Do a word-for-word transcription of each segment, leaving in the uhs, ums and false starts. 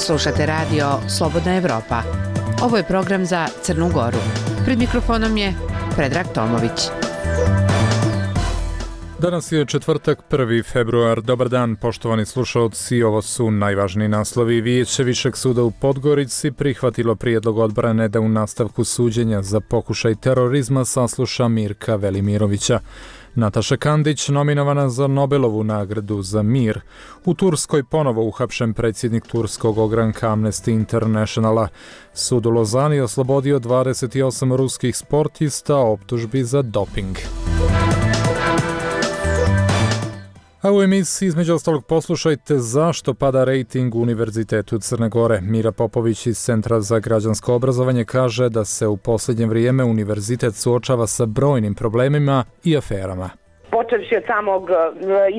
Slušate radio Slobodna Evropa. Ovo je program za Crnu Goru. Pred mikrofonom je Predrag Tomović. Danas je četvrtak, prvi februar. Dobar dan, poštovani slušalci. Ovo su najvažniji naslovi. Vijeće Višeg suda u Podgorici prihvatilo prijedlog odbrane da u nastavku suđenja za pokušaj terorizma sasluša Mirka Velimirovića. Nataša Kandić nominovana za Nobelovu nagradu za mir. U Turskoj ponovo uhapšen predsjednik turskog ogranka Amnesty Internationala. Sud u Lozani oslobodio dvadeset osam ruskih sportista optužbi za doping. A u emisiji između ostalog poslušajte zašto pada rejting Univerzitetu Crne Gore. Mira Popović iz Centra za građansko obrazovanje kaže da se u posljednje vrijeme univerzitet suočava sa brojnim problemima i aferama. Počevši od samog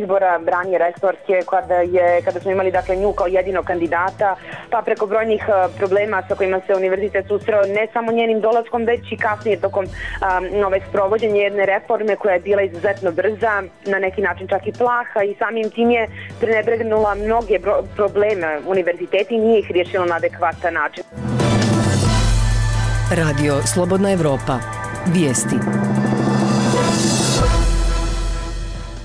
izbora Branje Restorske, kada, je, kada smo imali dakle, nju kao jedinog kandidata, pa preko brojnih problema sa kojima se univerzitet susreo ne samo njenim dolaskom, već i kasnije tokom um, nove sprovođenja jedne reforme koja je bila izuzetno brza, na neki način čak i plaha i samim tim je prenebregnula mnoge bro- probleme univerziteta i nije ih riješila na adekvatan način. Radio Slobodna Evropa. Vijesti.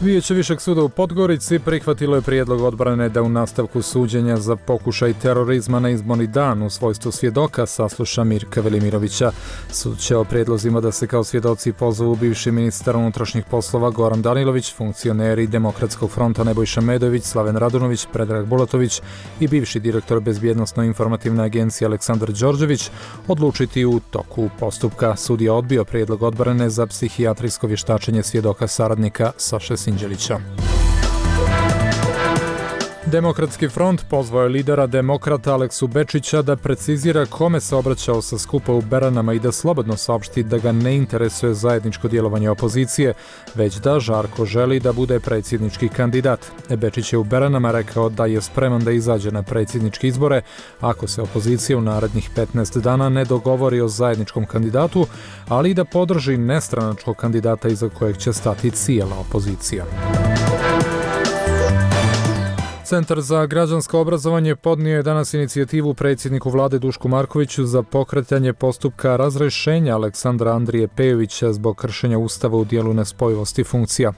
Vijeće Višeg suda u Podgorici prihvatilo je prijedlog odbrane da u nastavku suđenja za pokušaj terorizma na izborni dan u svojstvu svjedoka sasluša Mirka Velimirovića. Sud će o prijedlozima da se kao svjedoci pozovu bivši ministar unutrašnjih poslova Goran Danilović, funkcioneri Demokratskog fronta Nebojša Medović, Slaven Radunović, Predrag Bulatović i bivši direktor Bezbjednosno-informativne agencije Aleksandar Đorđević odlučiti u toku postupka. Sud je odbio prijedlog odbrane za psihijatrijsko vještačenje svjedoka saradnika Saše Sinđelića. Demokratski front pozvao je lidera demokrata Aleksu Bečića da precizira kome se obraćao sa skupa u Beranama i da slobodno saopšti da ga ne interesuje zajedničko djelovanje opozicije, već da žarko želi da bude predsjednički kandidat. Bečić je u Beranama rekao da je spreman da izađe na predsjedničke izbore ako se opozicija u narednih petnaest dana ne dogovori o zajedničkom kandidatu, ali i da podrži nestranačkog kandidata iza kojeg će stati cijela opozicija. Centar za građansko obrazovanje podnio je danas inicijativu predsjedniku vlade Dušku Markoviću za pokretanje postupka razrješenja Aleksandra Andrije Pejovića zbog kršenja Ustava u dijelu nespojivosti funkcija.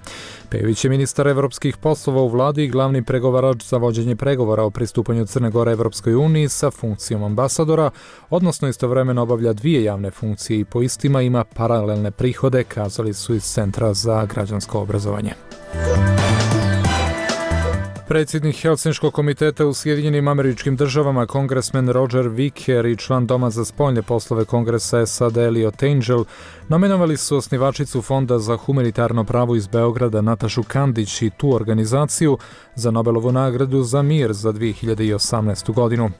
Pejović je ministar evropskih poslova u vladi i glavni pregovarač za vođenje pregovora o pristupanju Crne Gore Evropskoj uniji sa funkcijom ambasadora, odnosno istovremeno obavlja dvije javne funkcije i po istima ima paralelne prihode, kazali su iz Centra za građansko obrazovanje. Predsjednik Helsinškog komiteta u Sjedinjenim Američkim Državama, kongresmen Roger Wicker i član Doma za spoljne poslove Kongresa S A D Eliot Engel nominovali su osnivačicu Fonda za humanitarno pravo iz Beograda Natašu Kandić i tu organizaciju za Nobelovu nagradu za mir za dvije hiljade osamnaestu godinu.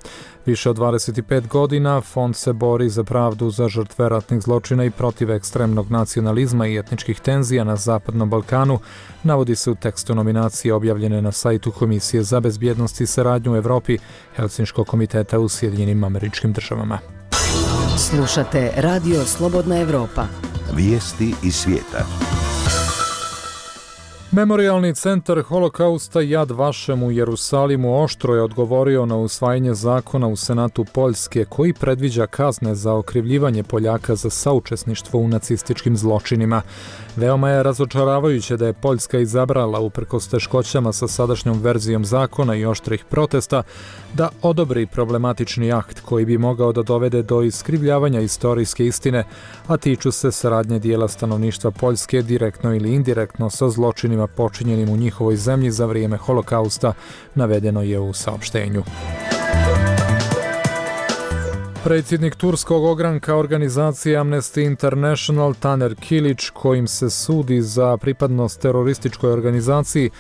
Više od dvadeset pet godina fond se bori za pravdu za žrtve ratnih zločina i protiv ekstremnog nacionalizma i etničkih tenzija na Zapadnom Balkanu, navodi se u tekstu nominacije objavljene na sajtu Komisije za bezbjednost i saradnju u Evropi Helsinškog komiteta u Sjedinjenim Američkim Državama. Slušate Radio Slobodna Evropa. Vijesti iz svijeta. Memorijalni centar holokausta Yad Vashem u Jerusalimu oštro je odgovorio na usvajanje zakona u Senatu Poljske koji predviđa kazne za okrivljivanje Poljaka za saučesništvo u nacističkim zločinima. Veoma je razočaravajuće da je Poljska izabrala, uprkos teškoćama sa sadašnjom verzijom zakona i oštrih protesta, da odobri problematični akt koji bi mogao da dovede do iskrivljavanja istorijske istine, a tiču se saradnje dijela stanovništva Poljske direktno ili indirektno sa zločinima počinjenim u njihovoj zemlji za vrijeme holokausta, navedeno je u saopštenju. Predsjednik turskog ogranka organizacije Amnesty International Taner Kilić, kojim se sudi za pripadnost terorističkoj organizaciji,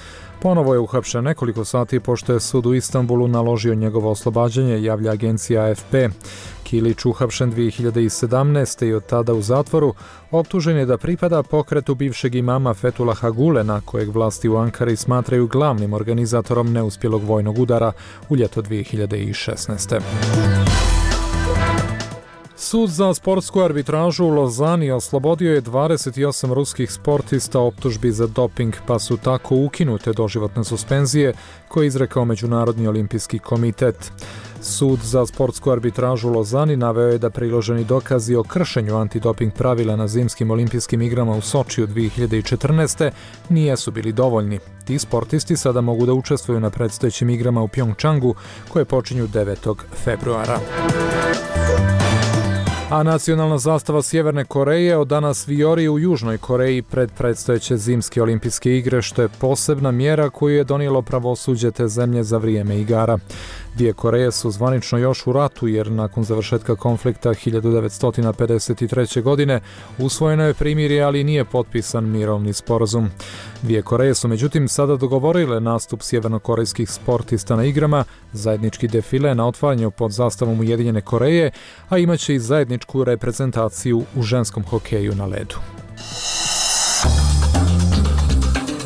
ponovo je uhapšen nekoliko sati pošto je sud u Istanbulu naložio njegovo oslobađanje, javlja agencija A F P. Kilić uhapšen dvije hiljade sedamnaeste i od tada u zatvoru, optužen je da pripada pokretu bivšeg imama Fethullaha Gulena, kojeg vlasti u Ankari smatraju glavnim organizatorom neuspjelog vojnog udara u ljeto dvije hiljade šesnaeste. Sud za sportsku arbitražu u Lozani oslobodio je dvadeset osam ruskih sportista optužbi za doping, pa su tako ukinute doživotne suspenzije koje je izrekao Međunarodni olimpijski komitet. Sud za sportsku arbitražu u Lozani naveo je da priloženi dokazi o kršenju antidoping pravila na zimskim olimpijskim igrama u Sočiju dvije hiljade četrnaeste. nijesu bili dovoljni. Ti sportisti sada mogu da učestvuju na predstojećim igrama u Pjongčangu koje počinju devetog februara. A nacionalna zastava Sjeverne Koreje od danas vijori u Južnoj Koreji pred predstojeće zimske olimpijske igre, što je posebna mjera koju je donijelo pravosuđe te zemlje za vrijeme igara. Dvije Koreje su zvanično još u ratu jer nakon završetka konflikta hiljadu devetsto pedeset treće. godine usvojeno je primirje, ali nije potpisan mirovni sporazum. Dvije Koreje su međutim sada dogovorile nastup sjevernokorejskih sportista na igrama, zajednički defile na otvaranju pod zastavom Ujedinjene Koreje, a imaće i zajedničku reprezentaciju u ženskom hokeju na ledu.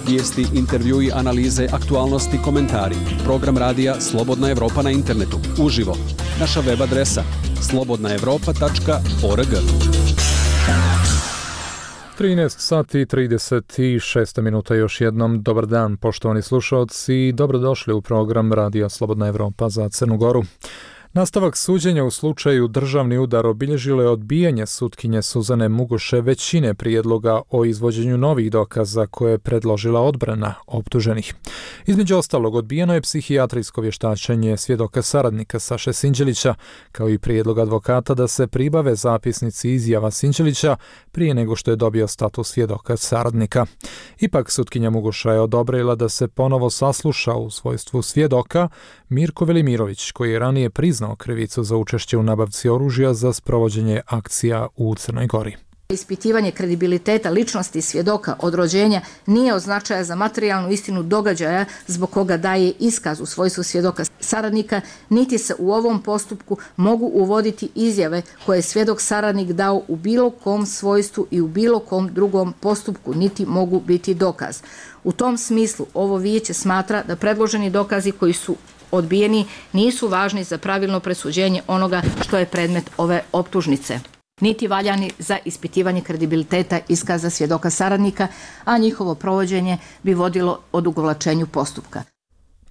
Vijesti, intervjui, analize, aktualnosti, komentari. Program radija Slobodna Evropa na internetu. Uživo. Naša web adresa slobodna evropa tačka org. trinaest sati i trideset šest minuta još jednom. Dobar dan, poštovani slušalci, i dobrodošli u program radija Slobodna Evropa za Crnu Goru. Nastavak suđenja u slučaju državni udar obilježilo je odbijanje sutkinje Suzane Mugoše većine prijedloga o izvođenju novih dokaza koje je predložila odbrana optuženih. Između ostalog, odbijeno je psihijatrijsko vještačenje svjedoka saradnika Saše Sinđelića, kao i prijedlog advokata da se pribave zapisnici izjava Sinđelića prije nego što je dobio status svjedoka saradnika. Ipak sutkinja Mugoša je odobrila da se ponovo sasluša u svojstvu svjedoka Mirko Velimirović, koji je ranije priznao krivicu za učešće u nabavci oružja za sprovođenje akcija u Crnoj Gori. Ispitivanje kredibiliteta ličnosti svjedoka od rođenja nije od značaja za materijalnu istinu događaja zbog koga daje iskaz u svojstvu svjedoka saradnika, niti se u ovom postupku mogu uvoditi izjave koje je svjedok saradnik dao u bilo kom svojstvu i u bilo kom drugom postupku, niti mogu biti dokaz. U tom smislu ovo vijeće smatra da predloženi dokazi koji su odbijeni nisu važni za pravilno presuđenje onoga što je predmet ove optužnice, niti valjani za ispitivanje kredibiliteta iskaza svjedoka saradnika, a njihovo provođenje bi vodilo odugovlačenju postupka.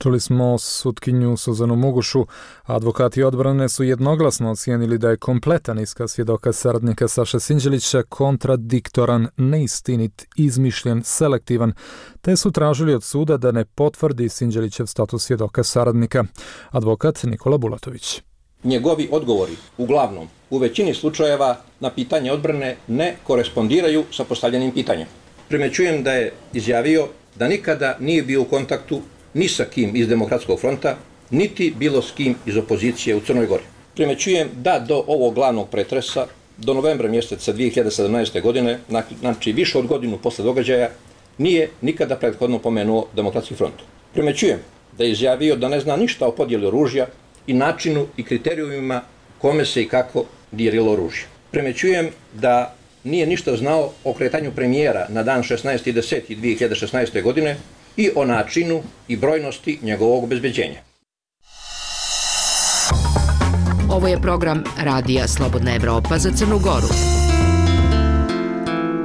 Čuli smo sutkinju Suzanu Mugošu. Advokati odbrane su jednoglasno ocijenili da je kompletan iskaz svjedoka saradnika Saše Sinđelića kontradiktoran, neistinit, izmišljen, selektivan, te su tražili od suda da ne potvrdi Sinđelićev status svjedoka saradnika. Advokat Nikola Bulatović. Njegovi odgovori, uglavnom, u većini slučajeva na pitanje odbrane ne korespondiraju sa postavljenim pitanjem. Primećujem da je izjavio da nikada nije bio u kontaktu ni sa kim iz Demokratskog fronta, niti bilo s kim iz opozicije u Crnoj Gori. Primećujem da do ovog glavnog pretresa, do novembra mjeseca dvije hiljade sedamnaeste. godine, znači više od godinu posle događaja, nije nikada prethodno pomenuo Demokratski front. Primećujem da je izjavio da ne zna ništa o podjeli oružja i načinu i kriterijumima kome se i kako dijelilo oružje. Primećujem da nije ništa znao o kretanju premijera na dan šesnaesti deseti dvije hiljade šesnaeste. godine i o načinu i brojnosti njegovog obezbeđenja. Ovo je program radija Slobodna Evropa za Crnu Goru.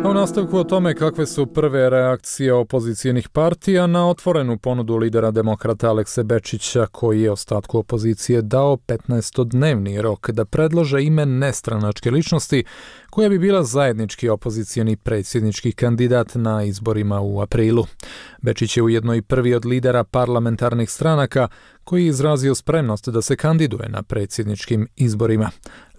A u nastavku o tome kakve su prve reakcije opozicijenih partija na otvorenu ponudu lidera demokrata Alekse Bečića, koji je ostatku opozicije dao petnaestodnevni rok da predlože ime nestranačke ličnosti koja bi bila zajednički opozicijeni predsjednički kandidat na izborima u aprilu. Bečić je ujedno i prvi od lidera parlamentarnih stranaka koji je izrazio spremnost da se kandiduje na predsjedničkim izborima.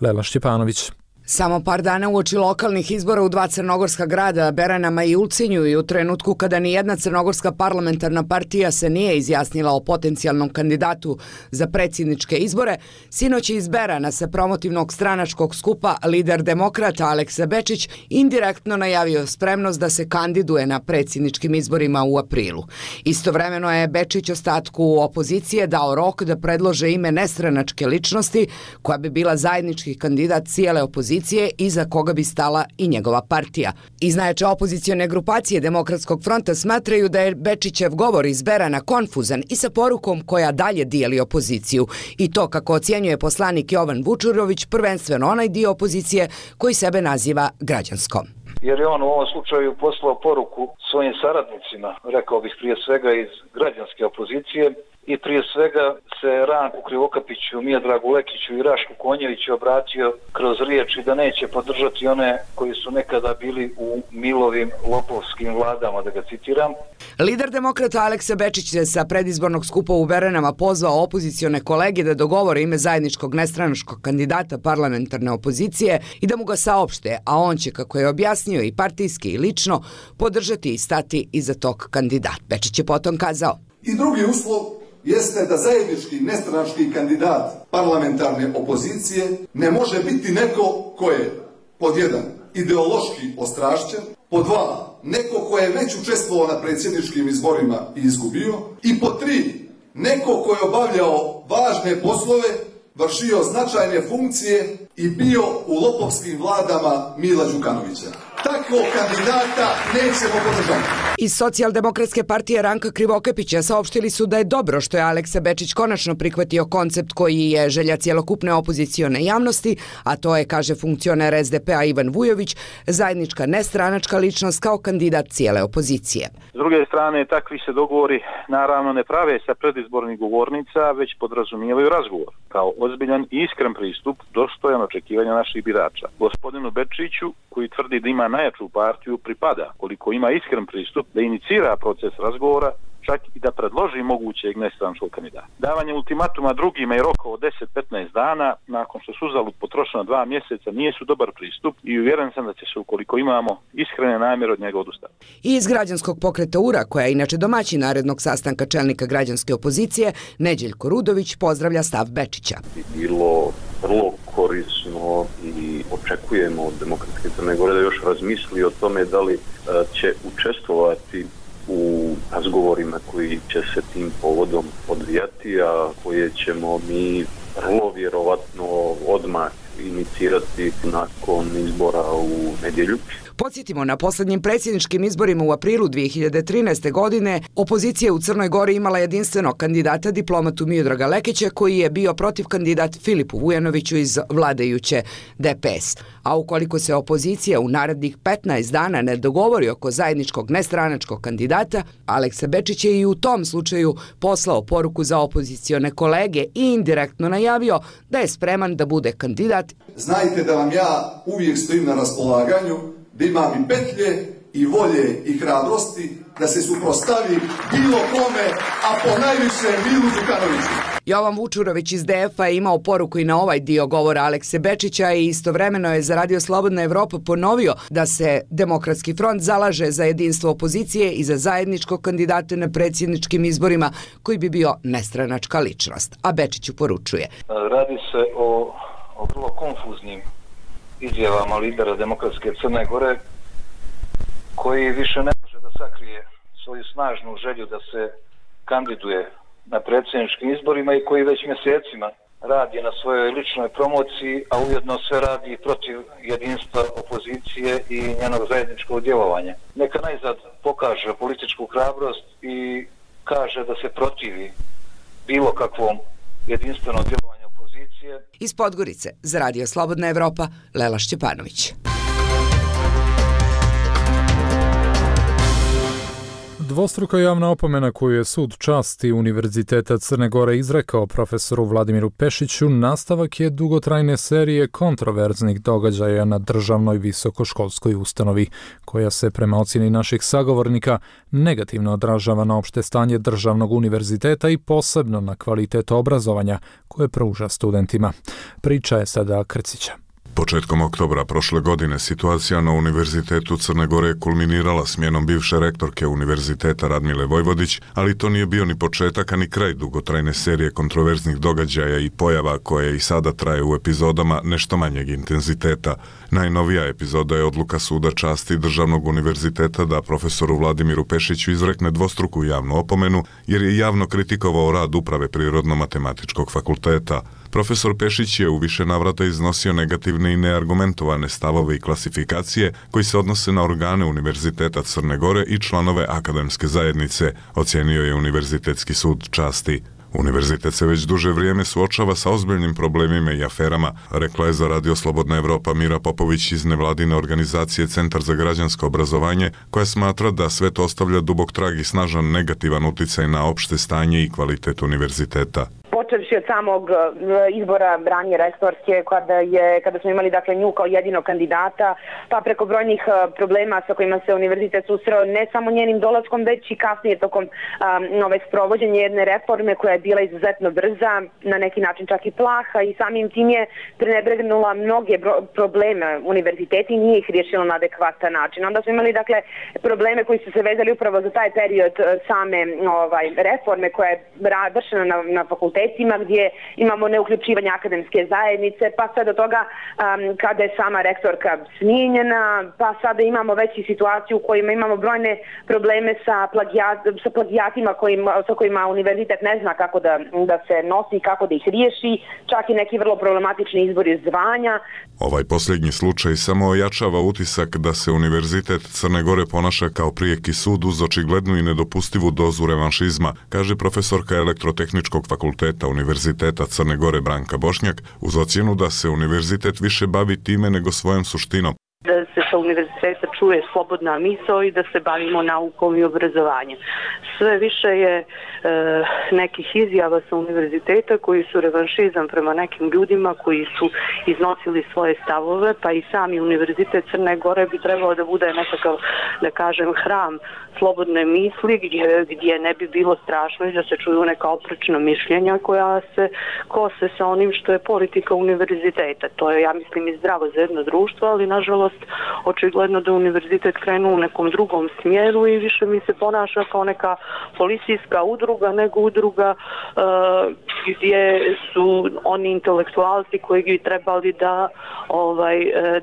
Lela Šćepanović. Samo par dana uoči lokalnih izbora u dva crnogorska grada, Beranama i Ulcinju, i u trenutku kada ni jedna crnogorska parlamentarna partija se nije izjasnila o potencijalnom kandidatu za predsjedničke izbore, sinoć iz Berana sa promotivnog stranačkog skupa lider demokrata Aleksa Bečić indirektno najavio spremnost da se kandiduje na predsjedničkim izborima u aprilu. Istovremeno je Bečić ostatku opozicije dao rok da predlože ime nestranačke ličnosti koja bi bila zajednički kandidat cijele opozicije iza koga bi stala i njegova partija. Iz najjače opozicione grupacije Demokratskog fronta smatraju da je Bečićev govor iz Berana konfuzan i sa porukom koja dalje dijeli opoziciju. I to, kako ocjenjuje poslanik Jovan Vučurović, prvenstveno onaj dio opozicije koji sebe naziva građanskom. Jer je on u ovom slučaju poslao poruku svojim saradnicima, rekao bih prije svega iz građanske opozicije, i prije svega se Ranku Krivokapiću, Miodragu Lekiću i Rašku Konjeviću obratio kroz riječi da neće podržati one koji su nekada bili u Milovim lopovskim vladama, da ga citiram. Lider demokrata Aleksa Bečić je sa predizbornog skupa u Beranama pozvao opozicione kolege da dogovore ime zajedničkog nestranačkog kandidata parlamentarne opozicije i da mu ga saopšte, a on će, kako je objasnio i partijski i lično, podržati i stati iza tog kandidata. Bečić je potom kazao: I drugi uslov jeste da zajednički nestranački kandidat parlamentarne opozicije ne može biti neko ko je pod jedan ideološki ostrašćen, pod dva neko ko je već učestvovao na predsjedničkim izborima i izgubio, i pod tri neko ko je obavljao važne poslove, vršio značajne funkcije i bio u lopovskim vladama Mila Đukanovića. Takvog kandidata nećemo podržati. Iz Socijaldemokratske partije Ranka Krivokapića saopštili su da je dobro što je Aleksa Bečić konačno prihvatio koncept koji je želja cjelokupne opozicione javnosti, a to je, kaže funkcioner es de pe a Ivan Vujović, zajednička nestranačka ličnost kao kandidat cijele opozicije. S druge strane, takvi se dogovori naravno ne prave sa predizbornih govornica, već podrazumijevaju razgovor kao ozbiljan i iskren pristup dostojan očekivanja naših birača. Gospodinu Bečiću, koji tvrdi da ima najjaču partiju, pripada, koliko ima iskren pristup, da inicira proces razgovora, čak i da predloži mogućeg nestranačkog kandidata. Davanje ultimatuma drugima i roka od deset do petnaest dana, nakon što su uzalud potrošena dva mjeseca, nije su dobar pristup i uvjeren sam da će se, ukoliko imamo iskrene namjere, od njega odustati. I iz građanskog pokreta U R A, koja je inače domaćin narednog sastanka čelnika građanske opozicije, Neđeljko Rudović pozdravlja stav Bečića. Bilo vrlo korisno i očekujemo od Demokratske Crne Gore da još razmisli o tome da li će učestvovati u razgovorima koji će se tim povodom odvijati, a koje ćemo mi vrlo vjerovatno odmah inicirati nakon izbora u nedjelju. Podsjetimo, na posljednjim predsjedničkim izborima u aprilu dvije hiljade trinaeste. godine opozicija u Crnoj Gori imala jedinstvenog kandidata, diplomatu Miodraga Lekića, koji je bio protiv kandidat Filipu Vujanoviću iz vladajuće de pe es. A ukoliko se opozicija u narednih petnaest dana ne dogovori oko zajedničkog nestranačkog kandidata, Aleksa Bečić je i u tom slučaju poslao poruku za opozicione kolege i indirektno najavio da je spreman da bude kandidat. Znajte da vam ja uvijek stojim na raspolaganju, da imam i petlje, i volje, i hrabrosti, da se suprostavi bilo kome, a po najviše Milu Đukanoviću. Jovan Vučurović iz de ef a je imao poruku i na ovaj dio govora Alekse Bečića i istovremeno je za Radio Slobodna Evropa ponovio da se Demokratski front zalaže za jedinstvo opozicije i za zajedničkog kandidata na predsjedničkim izborima koji bi bio nestranačka ličnost. A Bečiću poručuje: Radi se o, o vrlo konfuznim izjavama lidera Demokratske Crne Gore, koji više ne može da sakrije svoju snažnu želju da se kandiduje na predsjedničkim izborima i koji već mjesecima radi na svojoj ličnoj promociji, a ujedno sve radi protiv jedinstva opozicije i njenog zajedničkog djelovanja. Neka najzad pokaže političku hrabrost i kaže da se protivi bilo kakvom jedinstvenom djelovanju opozicije. Iz Podgorice za Radio Slobodna Evropa, Lela Šćepanović. Dvostruka javna opomena koju je sud časti Univerziteta Crne Gore izrekao profesoru Vladimiru Pešiću nastavak je dugotrajne serije kontroverznih događaja na državnoj visokoškolskoj ustanovi, koja se prema ocjeni naših sagovornika negativno odražava na opšte stanje državnog univerziteta i posebno na kvalitet obrazovanja koje pruža studentima. Priča je sada Krcića. Početkom oktobra prošle godine situacija na Univerzitetu Crne Gore je kulminirala smjenom bivše rektorke Univerziteta Radmile Vojvodić, ali to nije bio ni početak, a ni kraj dugotrajne serije kontroverznih događaja i pojava koje i sada traje u epizodama nešto manjeg intenziteta. Najnovija epizoda je odluka suda časti Državnog univerziteta da profesoru Vladimiru Pešiću izrekne dvostruku javnu opomenu jer je javno kritikovao rad uprave Prirodno-matematičkog fakulteta. Profesor Pešić je u više navrata iznosio negativne i neargumentovane stavove i klasifikacije koji se odnose na organe Univerziteta Crne Gore i članove akademske zajednice, ocijenio je Univerzitetski sud časti. Univerzitet se već duže vrijeme suočava sa ozbiljnim problemima i aferama, rekla je za Radio Slobodna Evropa Mira Popović iz nevladine organizacije Centar za građansko obrazovanje, koja smatra da sve to ostavlja dubok trag i snažan negativan uticaj na opšte stanje i kvalitet univerziteta. Počevši od samog izbora ranije rektorske, kada je kada smo imali dakle nju kao jedinog kandidata, pa preko brojnih problema sa kojima se univerzitet susreo ne samo njenim dolaskom, već i kasnije tokom um, nove sprovođenja jedne reforme koja je bila izuzetno brza, na neki način čak i plaha, i samim tim je prenebregnula mnoge probleme univerziteta i nije ih riješila na adekvatan način. Onda smo imali dakle probleme koji su se vezali upravo za taj period same ovaj reforme koja je vršena na, na fakultetu, gdje imamo neuključivanje akademske zajednice, pa sve do toga um, kada je sama rektorka smijenjena, pa sada imamo već i situaciju u kojima imamo brojne probleme sa, plagijat, sa plagijatima kojima, sa kojima univerzitet ne zna kako da, da se nosi, kako da ih riješi, čak i neki vrlo problematični izbori zvanja. Ovaj posljednji slučaj samo ojačava utisak da se Univerzitet Crne Gore ponaša kao prijeki sud uz očiglednu i nedopustivu dozu revanšizma, kaže profesorka Elektrotehničkog fakulteta Univerziteta Crne Gore Branka Bošnjak, uz ocjenu da se univerzitet više bavi time nego svojom suštinom. Da se sa univerziteta čuje slobodna misao i da se bavimo naukom i obrazovanjem. Sve više je e, nekih izjava sa univerziteta koji su revanšizam prema nekim ljudima koji su iznosili svoje stavove, pa i sami Univerzitet Crne Gore bi trebalo da bude nekakav, da kažem, hram slobodne misli gdje, gdje ne bi bilo strašno i da se čuju neka oprečna mišljenja koja se kose sa onim što je politika univerziteta. To je, ja mislim, i zdravo za jedno društvo, ali nažalost očigledno da univerzitet krenu u nekom drugom smjeru i više mi se ponaša kao neka policijska udruga nego udruga uh, gdje su oni intelektualci koji bi trebali da, ovaj,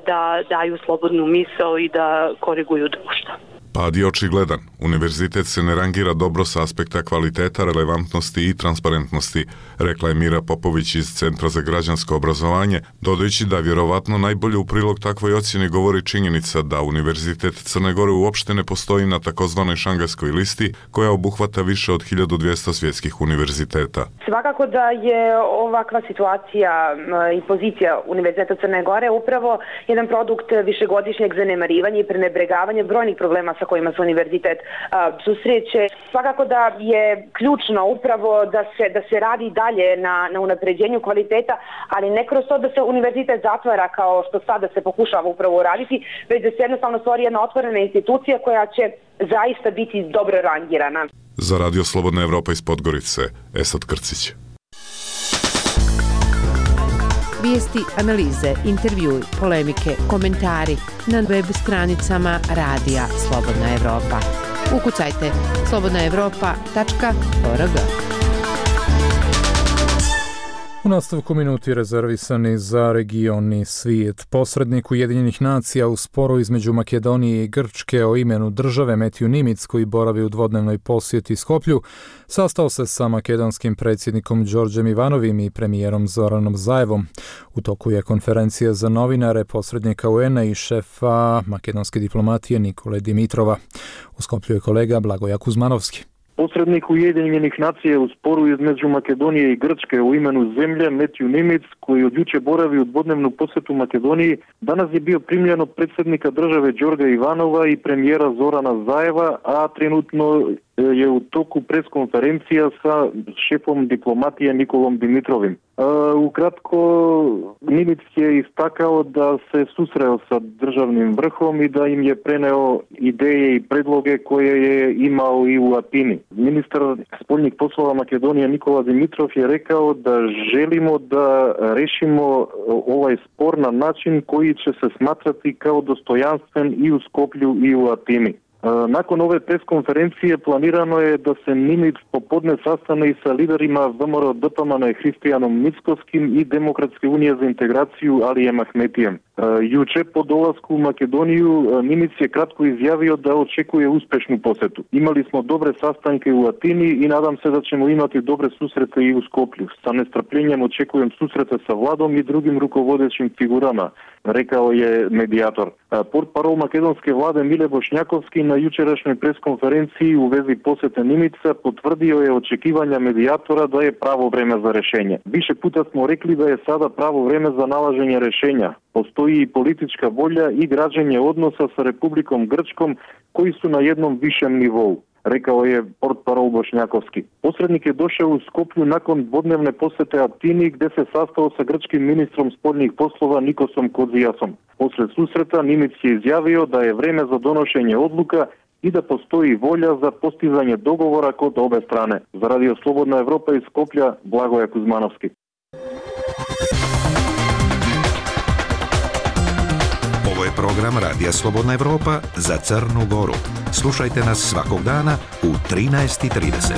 da daju slobodnu misao i da koriguju društvo. Pad je očigledan. Univerzitet se ne rangira dobro sa aspekta kvaliteta, relevantnosti i transparentnosti, rekla je Mira Popović iz Centra za građansko obrazovanje, dodajući da vjerovatno najbolje u prilog takvoj ocjeni govori činjenica da Univerzitet Crne Gore uopšte ne postoji na takozvanoj šangajskoj listi, koja obuhvata više od hiljadu dvjesto svjetskih univerziteta. Svakako da je ovakva situacija i pozicija Univerziteta Crne Gore upravo jedan produkt višegodišnjeg zanemarivanja i prenebregavanja brojnih problema sa kojima se univerzitet a, susreće. Svakako da je ključno upravo da se, da se radi dalje na, na unapređenju kvaliteta, ali ne kroz to da se univerzitet zatvara kao što sada se pokušava upravo uraditi, već da se jednostavno stvori jedna otvorena institucija koja će zaista biti dobro rangirana. Za Radio Slobodna Evropa iz Podgorice, Esad Krcić. Vijesti, analize, intervjui, polemike, komentari na web stranicama Radija Slobodna Evropa. Ukucajte slobodna evropa tačka org. U nastavku minuti rezervisani za regioni svijet. Posrednik Ujedinjenih nacija u sporu između Makedonije i Grčke o imenu države Metju Nimic, koji boravi u dvodnevnoj posjeti Skoplju, sastao se sa makedonskim predsjednikom Đorđem Ivanovim i premijerom Zoranom Zaevom. U toku je konferencija za novinare posrednika U N-a i šefa makedonske diplomatije Nikole Dimitrova. U Skoplju je kolega Blagoja Kuzmanovski. Posrednik Ujedinjenih nacija u sporu između Makedonije i Grčke u imenu zemlje Metju Nimic, koji od juče boravi u dvodnevnu posjetu Makedoniji, danas je bio primljen od predsjednika države Đorđa Ivanova i premijera Zorana Zaeva, a trenutno je u toku preskonferencija sa šefom diplomatije Nikolom Dimitrovim. Ukratko, Nimic je istakao da se susreo sa državnim vrhom i da im je preneo ideje i predloge koje je imao i u Atini. Ministar spoljnih poslova Makedonije Nikola Dimitrov je rekao da želimo da rešimo ovaj spor na način koji će se smatrati kao dostojanstven i u Skoplju i u Atini. Nakon ove preskonferencije planirano je da se Nimic popodne sastane i sa liderima V M R O D P M N-a Hristijanom Mickovskim i Demokratske unije za integraciju Alijem Ahmetijem. Јуче по доласку у Македонiju Нимиц je kratko izjavio da očekuje uspešnu posetu. Imali smo dobre sastanke u Atini i nadam se da ćemo imati dobre susrete i u Skoplju. Sa nestrpljenjem očekujem susrete sa vladom i drugim rukovodećim figurama, rekao je medijator. Portparol makedonske vlade Mile Bošnjakovski na jučerašnjoj preskonferenciji u vezi posete Nimica potvrdio je očekivanja medijatora da je pravo vreme za rešenje. Više puta smo rekli da je sada pravo vreme za nalaženje rešenja. Postoji i politička volja i građenje odnosa sa Republikom Grčkom koji su na jednom višem nivou, rekao je portparol Bošnjakovski. Posrednik je došao u Skoplju nakon dvodnevne posete Atini gde se sastao sa grčkim ministrom spoljnih poslova Nikosom Kodzijasom. Posle susreta Nimic je izjavio da je vreme za donošenje odluka i da postoji volja za postizanje dogovora kod obe strane. Za Radio Slobodna Evropa iz Skoplja, Blagoje Kuzmanovski. Ovo je program Radija Slobodna Evropa za Crnu Goru. Slušajte nas svakog dana u trinaest i trideset.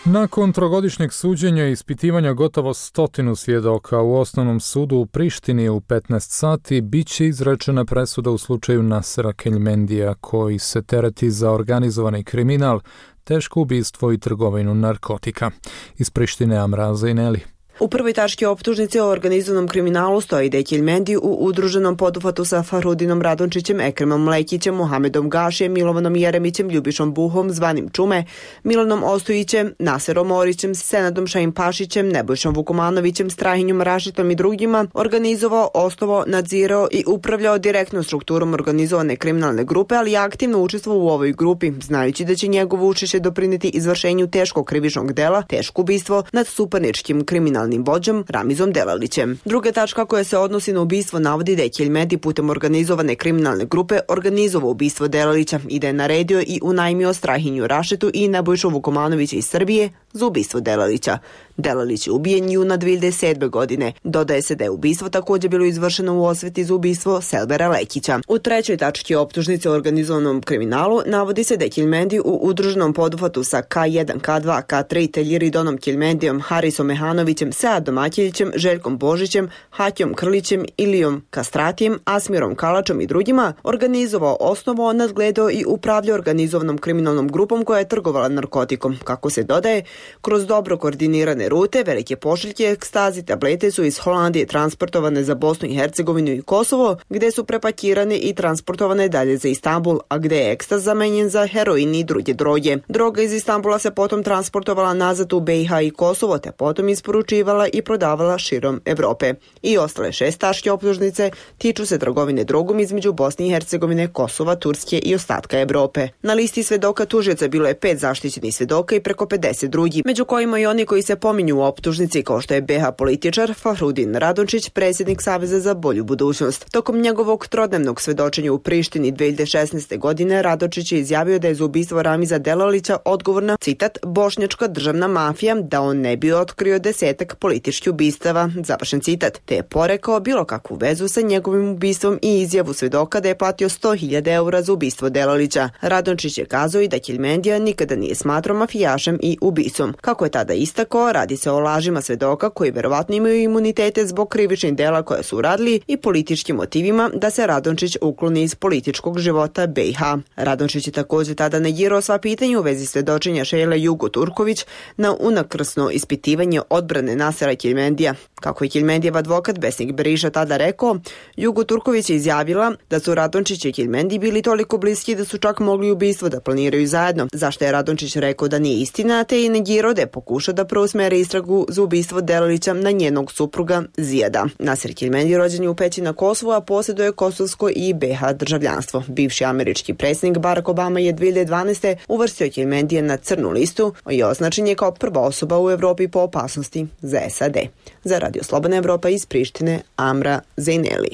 Nakon trogodišnjeg suđenja i ispitivanja gotovo stotinu svjedoka u osnovnom sudu u Prištini u petnaest sati biće izrečena presuda u slučaju Nasera Keljmendija koji se tereti za organizovani kriminal, teško ubistvo i trgovinu narkotika. Iz Prištine Amra Zejneli. U prvoj tački optužnice o organizovanom kriminalu stoji da je Keljmendi u udruženom poduhvatu sa Farhudinom Radončićem, Ekremom Lekićem, Mohamedom Gašijem, Milovanom Jeremićem, Ljubišom Buhom, zvanim Čume, Milanom Ostojićem, Naserom Orićem, Senadom Šaim Pašićem, Nebojšom Vukomanovićem, Strahinjom Rašitom i drugima organizovao, osnovao, nadzirao i upravljao direktno strukturom organizovane kriminalne grupe, ali je aktivno učestvovao u ovoj grupi, znajući da će njegovo učešće doprineti izvršenju teškog krivičnog dela, teško ubistvo nad suparničkim kriminalnim vođom Ramizom Delalićem. Druga tačka koja se odnosi na ubistvo navodi da je Keljmendi putem organizovane kriminalne grupe organizovao ubistvo Delalića i da je naredio i unajmio Strahinju Rašetu i Nebojšu Vukomanovića iz Srbije za ubistvo Delalića. Delalić je ubijen juna dve hiljade sedme. godine. Dodaje se da je ubistvo također bilo izvršeno u osveti za ubistvo Selbera Lekića. U trećoj tački optužnice o organizovanom kriminalu navodi se da je Keljmendi u udruženom poduhvatu sa K jedan, K dva, K tri te Ljiridonom Keljmendijom, Harisom Mehanovićem, Seadom Aćeljićem, Željkom Božićem, Hatjom Krlićem, Ilijom Kastratijem, Asmirom Kalačom i drugima organizovao, osnovao, nadgledao i upravljao organizovanom kriminalnom grupom koja je trgovala narkotikom. Kako se dodaje, kroz dobro koordinirane rute, velike pošiljke ekstazi tablete su iz Holandije transportovane za Bosnu i Hercegovinu i Kosovo, gde su prepakirane i transportovane dalje za Istanbul, a gde je ekstaz zamenjen za heroin i druge droge. Droga iz Istanbula se potom transportovala nazad u B i H i Kosovo, te potom isporučivala i prodavala širom Evrope. I ostale šest tačke optužnice tiču se trgovine drogom između Bosne i Hercegovine, Kosova, Turske i ostatka Evrope. Na listi svedoka tužioca bilo je pet zaštićenih svedoka i preko pedeset drugih, među kojima i oni koji se pominju u optužnici kao što je B H političar Farhudin Radončić, predsjednik Saveza za bolju budućnost. Tokom njegovog trodnevnog svedočenja u Prištini dve hiljade šesnaeste. godine Radončić je izjavio da je za ubistvo Ramiza Delalića odgovorna, citat, bošnjačka državna mafija, da on ne bi otkrio desetak političkih ubistava, završen citat, te je porekao bilo kakvu vezu sa njegovim ubistvom i izjavu svedoka da je platio sto hiljada eura za ubistvo Delalića. Radončić je kazao i da Keljmendija nikada nije smatrao mafijašem i ubicom. Kako je tada istakao, radi se o lažima svedoka koji verovatno imaju imunitete zbog krivičnih dela koje su uradili i političkim motivima da se Radončić ukloni iz političkog života B i H. Radončić je također tada negirao sva pitanja u vezi svedočenja Šejle Jugo Turković na unakrsno ispitivanje odbrane Nasera Keljmendija. Kako je Keljmendijev advokat Besnik Beriša tada rekao, Jugo Turković je izjavila da su Radončić i Keljmendi bili toliko bliski da su čak mogli ubistvo da planiraju zajedno, zašto je Radončić rekao da nije istina, te i negirao da je pokušao da preusmeri istragu za ubistvo Delalića na njenog supruga Zijada. Naser Keljmendi rođen je u Peći na Kosovu, a posjeduje kosovsko i B H državljanstvo. Bivši američki predsjednik Barack Obama je dve hiljade dvanaeste. uvrstio Keljmendija na crnu listu i označen je kao prva osoba u Evropi po opasnosti za S A D. Za Radio Slobodna Evropa iz Prištine, Amra Zejneli.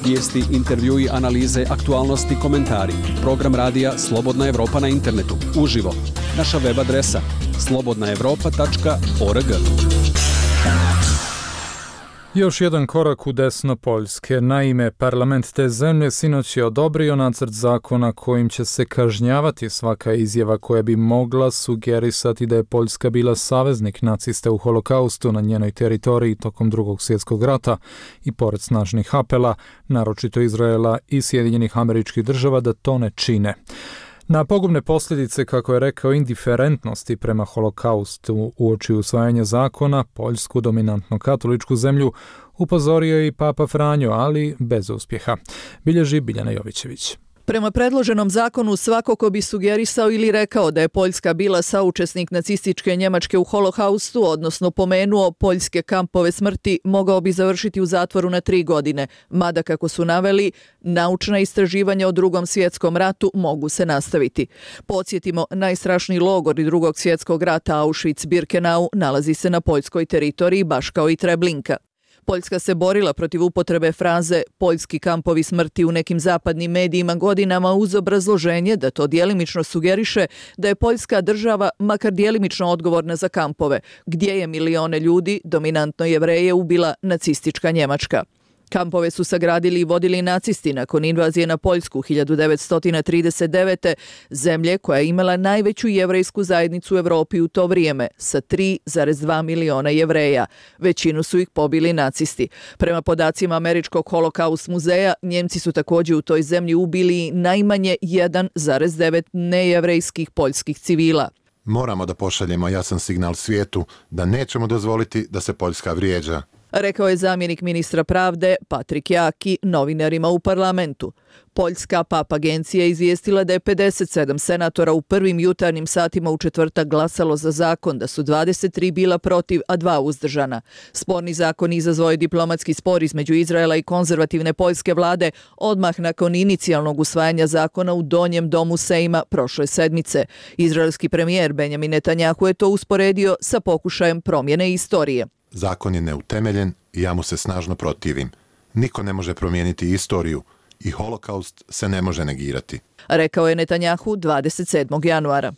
Vijesti, intervjui, analize, aktualnosti, komentari. Program radija Slobodna Evropa na internetu. Uživo. Naša web adresa slobodna evropa tačka org. Još jedan korak u desno Poljske. Naime, parlament te zemlje sinoć je odobrio nacrt zakona kojim će se kažnjavati svaka izjava koja bi mogla sugerisati da je Poljska bila saveznik naciste u holokaustu na njenoj teritoriji tokom drugog svjetskog rata i pored snažnih apela, naročito Izraela i Sjedinjenih Američkih Država, da to ne čine. Na pogubne posljedice, kako je rekao, indiferentnosti prema holokaustu uoči usvajanja zakona, Poljsku, dominantno katoličku zemlju, upozorio je i Papa Franjo, ali bez uspjeha. Bilježi Biljana Jovićević. Prema predloženom zakonu, svako ko bi sugerisao ili rekao da je Poljska bila saučesnik nacističke Njemačke u holokaustu, odnosno pomenuo poljske kampove smrti, mogao bi završiti u zatvoru na tri godine, mada, kako su naveli, naučna istraživanja o drugom svjetskom ratu mogu se nastaviti. Podsjetimo, najstrašniji logor i drugog svjetskog rata Auschwitz-Birkenau nalazi se na poljskoj teritoriji, baš kao i Treblinka. Poljska se borila protiv upotrebe fraze poljski kampovi smrti u nekim zapadnim medijima godinama uz obrazloženje da to djelimično sugeriše da je Poljska država makar djelimično odgovorna za kampove, gdje je milione ljudi, dominantno Jevreje, ubila nacistička Njemačka. Kampove su sagradili i vodili nacisti nakon invazije na Poljsku hiljadu devetsto trideset devete. zemlje koja je imala najveću jevrejsku zajednicu u Evropi u to vrijeme, sa tri zarez dva miliona Jevreja. Većinu su ih pobili nacisti. Prema podacima Američkog holokaust muzeja, Njemci su također u toj zemlji ubili najmanje jedan zarez devet nejevrejskih poljskih civila. Moramo da pošaljemo jasan signal svijetu da nećemo dozvoliti da se Poljska vrijeđa, rekao je zamjenik ministra pravde Patrik Jaki novinarima u parlamentu. Poljska pap agencija je izvijestila da je pedeset sedam senatora u prvim jutarnjim satima u četvrtak glasalo za zakon, da su dvadeset tri bila protiv, a dva uzdržana. Sporni zakon izazvao je diplomatski spor između Izraela i konzervativne poljske vlade odmah nakon inicijalnog usvajanja zakona u donjem domu Sejma prošle sedmice. Izraelski premijer Benjamin Netanjahu je to usporedio sa pokušajem promjene istorije. Zakon je neutemeljen i ja mu se snažno protivim. Niko ne može promijeniti istoriju i holokaust se ne može negirati, rekao je Netanjahu dvadeset sedmog januara.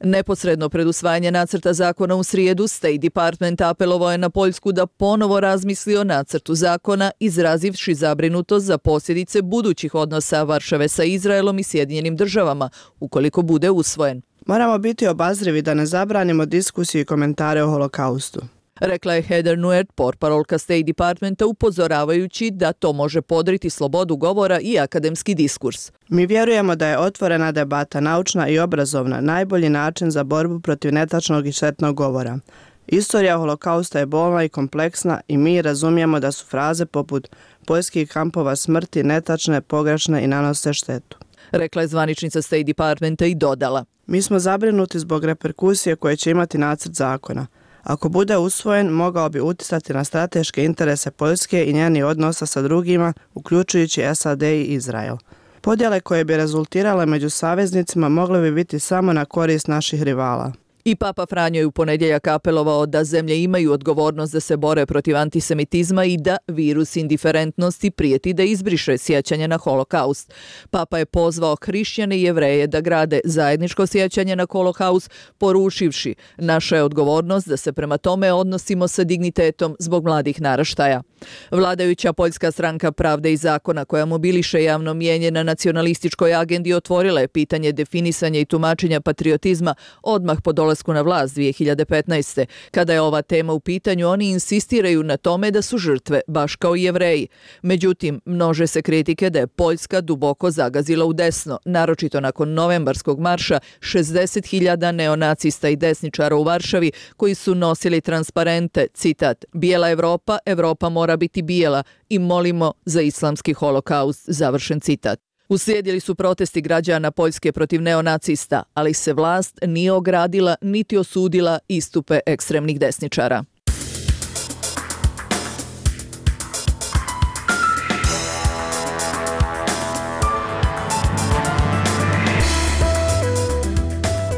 Neposredno pred usvajanje nacrta zakona u srijedu, State Department apelovao je na Poljsku da ponovo razmisli o nacrtu zakona, izrazivši zabrinutost za posljedice budućih odnosa Varšave sa Izraelom i Sjedinjenim državama, ukoliko bude usvojen. Moramo biti obazrivi da ne zabranimo diskusiju i komentare o holokaustu, rekla je Heather Nauert, portparolka State Departmenta, upozoravajući da to može podriti slobodu govora i akademski diskurs. Mi vjerujemo da je otvorena debata, naučna i obrazovna, najbolji način za borbu protiv netačnog i štetnog govora. Istorija holokausta je bolna i kompleksna i mi razumijemo da su fraze poput poljskih kampova smrti netačne, pogrešne i nanose štetu, rekla je zvaničnica State Departmenta i dodala. Mi smo zabrinuti zbog reperkusije koje će imati nacrt zakona. Ako bude usvojen, mogao bi uticati na strateške interese Poljske i njeni odnosa sa drugima, uključujući S A D i Izrael. Podjele koje bi rezultirale među saveznicima mogle bi biti samo na korist naših rivala. I Papa Franjo je u ponedjeljak apelovao da zemlje imaju odgovornost da se bore protiv antisemitizma i da virus indiferentnosti prijeti da izbriše sjećanje na holokaust. Papa je pozvao hrišćane i Jevreje da grade zajedničko sjećanje na holokaust, poručivši: naša je odgovornost da se prema tome odnosimo sa dignitetom zbog mladih naraštaja. Vladajuća poljska stranka Pravde i zakona, koja mobiliše javno mnijenje na nacionalističkoj agendi, otvorila je pitanje definisanja i tumačenja patriotizma odmah po dolasku na vlast dvije hiljade petnaeste. Kada je ova tema u pitanju, oni insistiraju na tome da su žrtve, baš kao i Jevreji. Međutim, množe se kritike da je Poljska duboko zagazila u desno, naročito nakon novembarskog marša šezdeset hiljada neonacista i desničara u Varšavi koji su nosili transparente, citat: bijela Evropa, Evropa mora biti bijela i molimo za islamski holokaust, završen citat. Uslijedili su protesti građana Poljske protiv neonacista, ali se vlast nije ogradila niti osudila istupe ekstremnih desničara.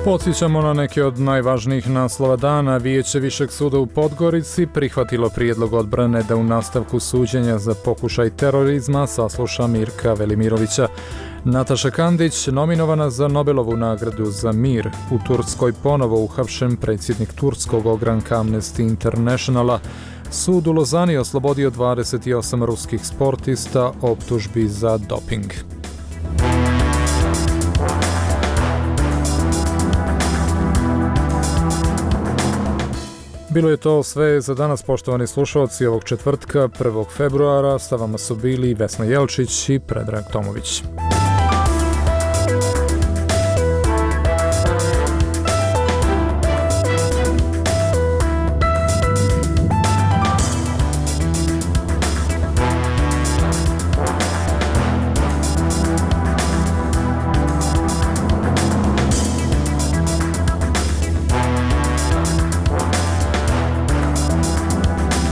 Podsjećamo na neke od najvažnijih naslova dana. Vijeće Višeg suda u Podgorici prihvatilo prijedlog odbrane da u nastavku suđenja za pokušaj terorizma sasluša Mirka Velimirovića. Nataša Kandić, nominovana za Nobelovu nagradu za mir. U Turskoj ponovo uhapšen predsjednik turskog ogranka Amnesty Internationala. Sud u Lozani oslobodio dvadeset osam ruskih sportista optužbi za doping. Bilo je to sve za danas, poštovani slušalci, ovog četvrtka, prvog februara. Sa vama su bili Vesna Jelčić i Predrag Tomović.